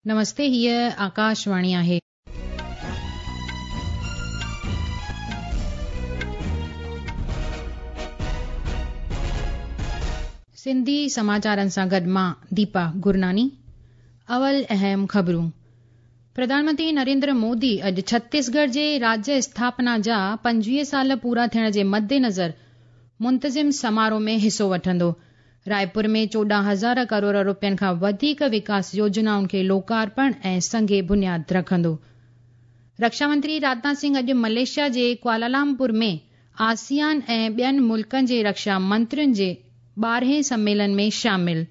نمستي هيء آڪاشواڻي آهي. سنڌي سماچارن سان گڏ مان ديپا گرناني. اول اهم خبرون. پرڌان منتري نريندر مودي اڄ ڇتيسڳڙهه جي راجيه اسٿاپنا جا 25 سال پورا ٿيڻ جي مدنظر منتظم سماروهه ۾ حصو وٺندو. رائپور ۾ 14 هزار ڪروڙ روپين کان وڌيڪ وڪاس يوجنائن کي لوڪارپڻ ۽ سنگ بنياد رکندو. رڪشا منتري راجناٿ سنگهه اڄ ملائيشيا جي ڪوالالمپور ۾ آسيان ۽ ٻين ملڪن جي رڪشا منترين جي 12هين سميلن ۾ شامل.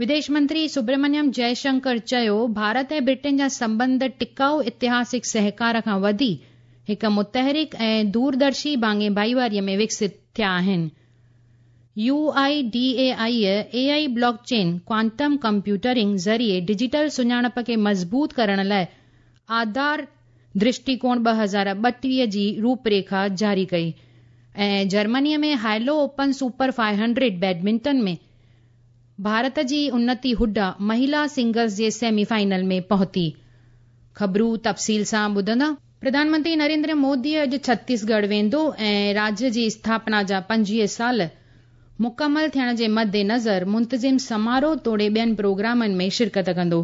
وديش منتري سبرمنيم جئشنڪر چيو، ڀارت ۽ برٽين جا سنٻنڌ ٽڪائو اتهاسڪ سهڪار کان وڌي هڪ متحرڪ ۽ دوردرشي ڀاڱي ڀائيواريء ۾ وڪست ٿيا آهن. U I D A I A I blockchain quantum computing ذريعي ڊجيٽل سڃاڻپ کي مضبوط ڪرڻ لاءِ آڌار درشٽيڪوڻ 2032 جي روپريکا جاري ڪئي ۽ جرمنيء ۾ Hylo open super 500 badminton ۾ Bharat جي انتي هوڊا مهلا سنگلز جي سيمي فائنل ۾ پهتي. خبرون تفصيل سان ٻڌندا. پرڌان منتري نريندر مودي اڄ ڇتيسڳڙهه ويندو ۽ راجيه جي اسٿاپنا جا 25 سال مڪمل ٿيڻ جي مدنظر منتظم سماروهه توڙي ٻين پروگرامن ۾ شرڪت ڪندو.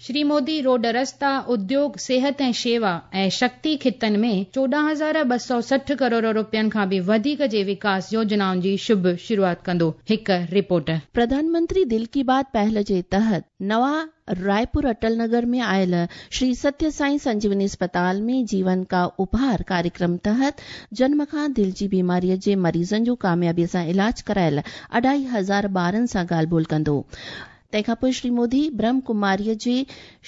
شري مودي روڊ رستا، اديوگ، صحت ۽ شيوا ۽ شڪتي خطن ۾ 14,260 ڪروڙ روپين کان به وڌيڪ جي وڪاس يوجنائن جي شڀ شروعات ڪندو. هڪ رپورٽ. پرڌان منتري دل ڪي بات پهل جي تحت نوان رائپور اٽل نگر ۾ آيل شري ستيه سائين سنجيوني اسپتال ۾ جيون ڪا اپهار ڪاريڪرم تحت جنم کان دل جي بيماريء جي مريضن جو ڪاميابيء سان علاج ڪرايل اڍائي هزار ٻارن سان ڳالهه ٻولهه ڪندو. تنهن کان پوء شري مودي برهم ڪماريء جي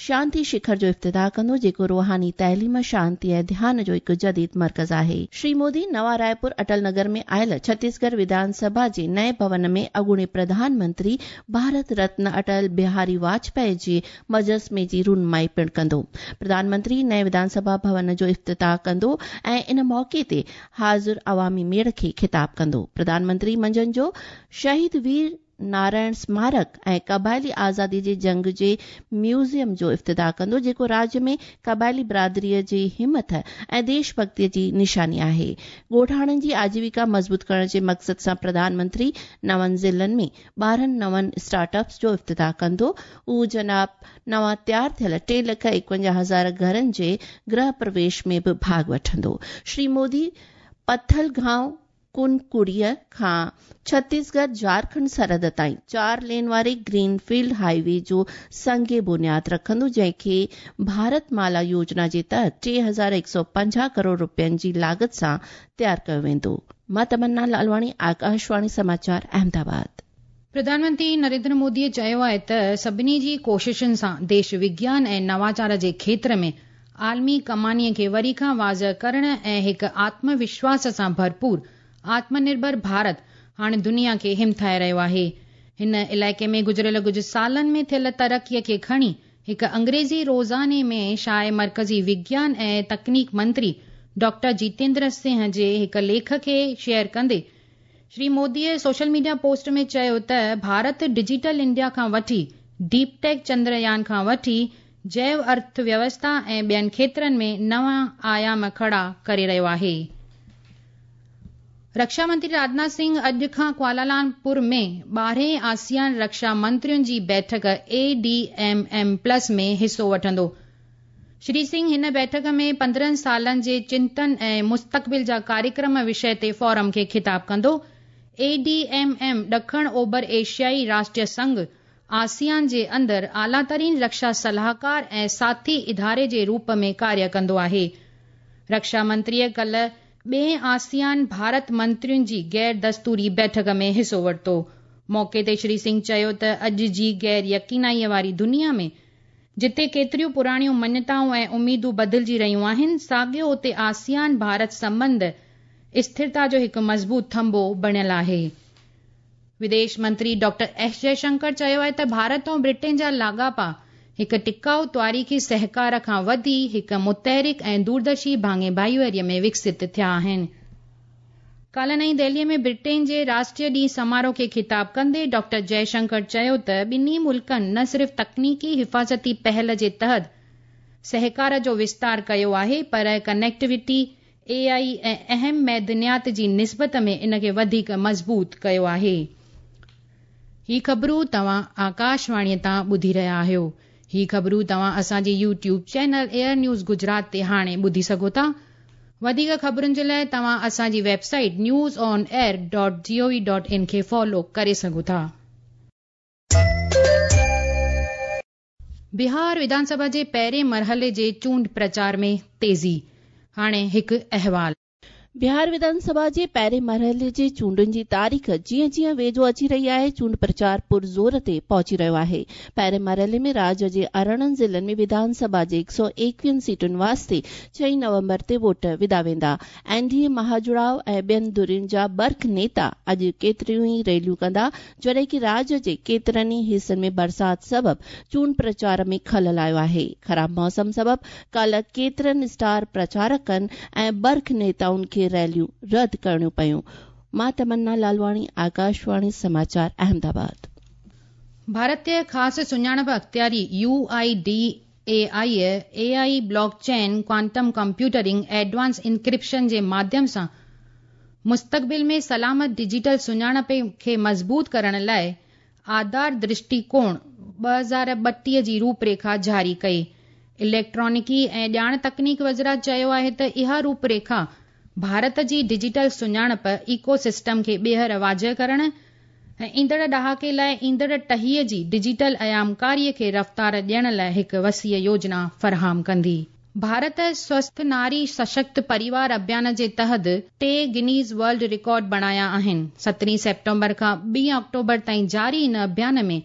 شانتي شکر جو افتتاح ڪندو، جيڪو روحاني تعليم، شانتي ۽ ڌيان جو هڪ جديد مرڪز آهي. شري مودي نوان رائپور اٽل نگر ۾ آيل ڇتيسڳڙهه وڌان سڀا جي نئين ڀون ۾ اڳوڻي پرڌان منتري ڀارت رتن اٽل بهاري واجپائي جي مجسمي جي رونمائي پڻ ڪندو. پرڌان منتري نئين وڌان سڀا ڀون جو افتتاح ڪندو ۽ ان موقعي تي حاضر عوامي ميڙ کي خطاب ڪندو. پرڌان منتري منجهند جو شهيد وير نارائڻ سمارڪ ۽ قبائلي آزادي جي جنگ جي ميوزيم جو افتتاح ڪندو، جيڪو راجيه ۾ قبائلي برادري جي همٿ ۽ ديش ڀڳتي جي نشاني آهي. ڳوٺاڻن جي آجيوڪا مضبوط ڪرڻ جي مقصد سان پرڌان منتري نون ضلعن ۾ 12 نون اسٽارٽ اپس جو افتتاح ڪندو. هو جناب نوان تيار ٿيل 3,51,000 گهرن جي گرهه پرويش ۾ به ڀاڳ وٺندو. شري مودي پٿل گائون ڪنڪڙيء کان ڇتيسڳڙهه جهارکنڊ سرحد تائين چار لين واري گرين فيلڊ هاء وي جو سنگ بنياد رکندو، جنهن کي ڀارت مالا يوجنا جي تحت 3,150 ڪروڙ رپين جي لاڳت سان تيار ڪيو ويندو. مان تمنا لالواڻي، آڪاشواڻي سماچار، احمدآباد. پرڌان منتري نريندر موديء چيو آهي ته سڀني جي ڪوششن سان ديش وگيان ۽ نواچار جي کيتر ۾ عالمي ڪمانيء کي وري کان واضح ڪرڻ ۽ هڪ آتم وشواس سان ڀرپور آتم نرڀر ڀارت هاڻي دنيا کي همٿائي رهيو آهي. هن علائقي ۾ گذريل ڪجهه سالن ۾ ٿيل ترقيء کي کڻي هڪ انگريزي روزاني ۾ شايع مرڪزي وگيان ۽ تڪنيڪ منتري ڊاڪٽر جيتيندر سنگهه جي هڪ ليک کي شيئر ڪندي شري موديء سوشل ميڊيا پوسٽ ۾ چيو ته ڀارت ڊجيٽل انڊيا کان وٺي ڊيپ ٽيڪ، چندريان کان وٺي جيو ارٿ ويوسٿا ۽ ٻين کيترن ۾ نوان آيام کڙا ڪري رهيو آهي. رڪشا منتري راجناٿ سنگهه اڄ کان ڪوالالمپور ۾ 12هين آسيان رڪشا منترين جي بيٺڪ اي ڊي ايم ايم پلس ۾ حصو وٺندو. شري سنگهه هن بيٺڪ ۾ 15 سالن جي چنتن ۽ مستقبل جا ڪاريڪرم وشي تي فورم کي خطاب ڪندو. اي ڊي ايم ايم ڏکڻ اوڀر ايشيائي راشٽريه سنگهه، آسيان، جي اندر اعليٰ ترين رڪشا صلاحڪار ۽ ساٿي اداري جي روپ ۾ ڪاريه ڪندو آهي. رڪشا منتريء ڪلهه ٻئين آسيان ڀارت منترين جي غير دستوري بيٺڪ ۾ حصو ورتو. موقعي تي شري سنگهه چيو ته اڄ جي غير يقينائيء واري دنيا ۾ جتي ڪيتريون پراڻيون مڃتائون ۽ اميدون بدلجي رهيون آهن، ساڳيو اتي آسيان ڀارت سنٻنڌ اسٿرتا جو هڪ مضبوط ٿنڀو بڻيل آهي. وديش منتري ڊاڪٽر ايس جئشنڪر چيو آهي ته ڀارت ۽ برٽين جا لاڳاپا هڪ ٽڪائو تواريخي سهڪار کان وڌي هڪ متحرڪ ۽ دوردرشي ڀاڱي ڀائيواري ۾ وڪست ٿيا آهن. ڪالهه نئين دهلي ۾ برٽين جي راشٽريه ڏينهن سماروهه کي خطاب ڪندي ڊاڪٽر جئشنڪر چيو ته ٻنهي ملڪن نه صرف تڪنيڪي حفاظتي پهل جي تحت سهڪار جو وستار ڪيو آهي پر ڪنيڪٽيوٽي، اي آء ۽ اهم معدنيات جي نسبت ۾ ان کي وڌيڪ مضبوط ڪيو آهي. هي خبرون توهان آڪاشواڻي تان ٻڌي رهيا آهيو. هي خبرون توهان اسان جي YouTube channel AIR news Gujarat تي هاڻي ٻڌي سگهو ٿا. وڌيڪ خبرن جي لاء توهان اسان جي website news on air dot G O V dot in کي فالو ڪري سگهو ٿا. بهار وڌانسڀا جي پهرين مرحلي جي چونڊ پرچار ۾ تيزي، هاڻي هڪ احوال. بهار وڌانسڀا جي پهرين مرحلي جي چونڊن جي تاريخ جيئن جيئن ويجهو اچي رهي آهي، چونڊ پرچار پرزور تي پهچي رهيو آهي. پهرين مرحلي ۾ راڄ جي 18 ضلعن ۾ وڌانسڀا جي 121 سيٽن واسطي 6 نومبر تي ووٽ وڌا ويندا. اين ڊي اي مهاجڙاء ۽ ٻين ڌرين جا برک نيتا اڄ ڪيتريون ئي ريليون ڪندا، جڏهن ڪي راڄ جي ڪيترن ئي حصن ۾ برسات سبب چونڊ پرچار ۾ خلل آيو آهي. خراب موسم سبب ڪالهه ڪيترن اسٽار پرچارڪن ۽ برک نيتائن کي ريليون رد ڪرڻيون پيون. مان تمنا لالواڻي، آڪاشواڻي سماچار، احمد آباد. ڀارتي خاص سڃاڻپ اختياري، U I D A I, A I blockchain, quantum computing, advance encryption جي ماڌيم سان مستقبل ۾ سلامت ڊجيٽل سڃاڻپ کي مضبوط ڪرڻ لاء آڌار درشٽيڪوڻ 2032 جي روپريکا جاري ڪئي. اليڪٽرانڪي ۽ ڄاڻ تڪنيڪ وزارت چيو آهي ته اها روپريکا ڀارت جي ڊجيٽل سڃاڻپ ايڪو سسٽم کي ٻيهر واضح ڪرڻ ۽ ايندڙ ڏهاڪي لاء ايندڙ ٽهيء جي ڊجيٽل ايامڪاري کي رفتار ڏيڻ لاء هڪ وسيع يوجنا فراهم ڪندي. ڀارت سوسٿ ناري سشڪت پريوار اڀيان جي تحت ٽي گنيز ورلڊ رڪارڊ بڻايا آهن. سترهين سيپٽمبر کان ٻين آڪٽوبر تائين جاري ان اڀيان ۾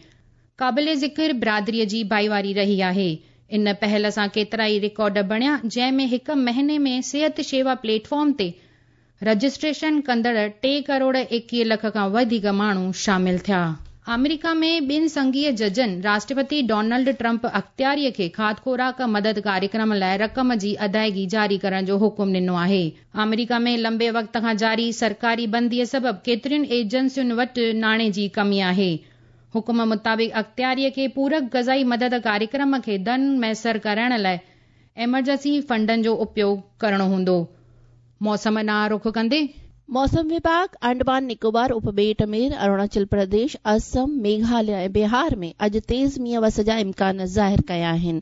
قابل ذڪر برادري جي ڀائيواري رهي آهي. ان پهل سان ڪيترائي رڪارڊ بڻيا جنهن ۾ هڪ مهيني ۾ صحت شيوا پليٽ فارم تي رجسٽريشن ڪندڙ ٽي ڪروڙ 21 لک کان وڌيڪ ماڻهو شامل ٿيا. آمريڪا ۾ ٻن سنگهي ججن راشٽرپتي ڊونلڊ ٽرمپ اختياري کي کاڌ خوراڪ مدد ڪاريڪرم لاء رقم جي ادائگي جاري ڪرڻ جو حڪم ڏنو آهي. آمريڪا ۾ لنبي وقت کان جاري سرڪاري بندي سبب ڪيترين ايجنسين وٽ ناڻي جي ڪمي آهي. حڪم مطابق اختياري کي پورڪ غذائي مدد ڪاريڪرم کي ڌن ميسر ڪرائڻ لاء ايمرجنسي فنڊن جو اپيوگ ڪرڻو هوندو. موسم ڏانهن رخ ڪندي. موسم وڀاڳ انڊمان نڪوبار اپٻيٽ ۾ اروناچل پرديش، اسم، ميگهاليه ۽ بهار ۾ اڄ تيز مينهن وس جا امڪان ظاهر ڪيا آهن.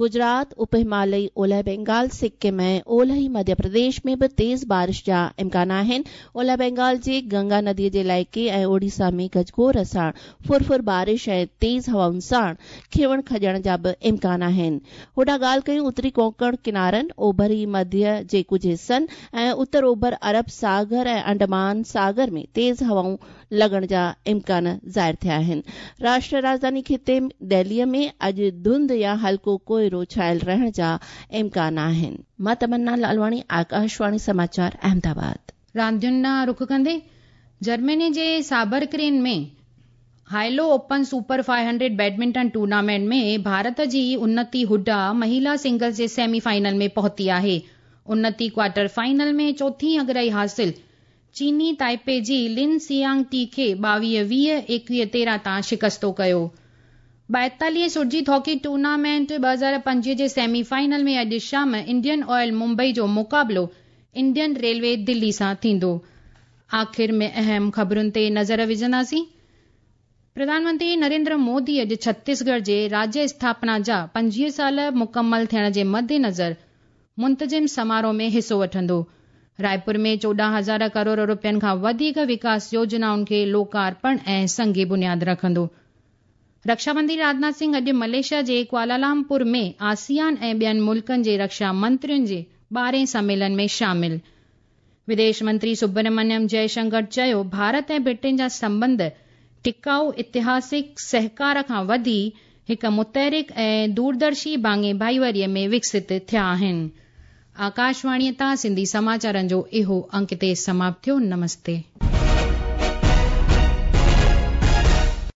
گجرات، اپ همالئي اولهه بينگال، سڪم ۽ اولهي مڌيه پرديش ۾ به تيز بارش جا امڪان آهن. اولهه بينگال جي گنگا ندي جي علائقي ۽ اوڙيسا ۾ گجگوڙ ساڻ ڦر ڦر بارش ۽ تيز هوائن ساڻ کنوڻ کڄڻ جا به امڪان آهن. هوڏانهن ڳالهه ڪيون اتري ڪونڪڻ ڪنارن، اوڀري مڌيه جي ڪجهه حصن ۽ اتر اوڀر عرب ساگر ۽ انڊمان ساگر ۾ تيز هوائون لڳڻ جا امڪان ظاهر ٿيا آهن. راشٽر راڄڌاني خطي دهلي ۾ اڄ ڌنڌ يا هلڪو ڪوهيڙو ڇانيل رهڻ جا امڪان آهن. مان تمنا لالواڻي، آڪاشواڻي سماچار، احمد آباد. راندين ڏانهن رخ ڪندي جرمني جي Saarbrucken ۾ Hylo open super 500 badminton tournament ۾ Bharat جي انتي هوڊا مهيلا سنگلز جي سيمي فائنل ۾ پهتي آهي. انتي ڪوارٽر فائنل ۾ چوٿين اڳرائي حاصل چيني تائپي جي لن سيانگ ٽي کي 22 20، 21 13 تان شڪستو ڪيو. 42 سرجيت هاڪي ٽورنامينٽ 2025 جي سيمي فائنل ۾ اڄ شام انڊين آئل ممبئي جو مقابلو انڊين ريلوي دلي سان ٿيندو. آخر ۾ اهم خبرن تي نظر وجهنداسين. پرڌان منتري نريندر مودي اڄ ڇتيسڳڙهه جي راجيه اسٿاپنا جا 25 سال مڪمل ٿيڻ جي مدنظر منتظم سماروهه ۾ حصو وٺندو. رائپور ۾ 14,000 ڪروڙ روپين کان وڌيڪ وڪاس يوجنائن کي لوڪارپڻ ۽ سنگ بنياد رکندو. رڪشا منتري راجناٿ سنگهه اڄ ملائيشيا جي ڪوالالمپور ۾ آسيان ۽ ٻين ملڪن جي رڪشا منترين جي ٻارهين سميلن ۾ شامل. وديش منتري سبرمنيم جئي شنڪر چيو ڀارت ۽ برٽين جا سنٻنڌ ٽڪائو اتهاسڪ سهڪار کان وڌي هڪ متحرڪ ۽ دوردرشي ڀاڱي ڀائيواري ۾ وڪست ٿيا آهن. آڪاشواڻي تان سنڌي سماچارن جو اهو انڪ هتي سماپت ٿيو. نمستي.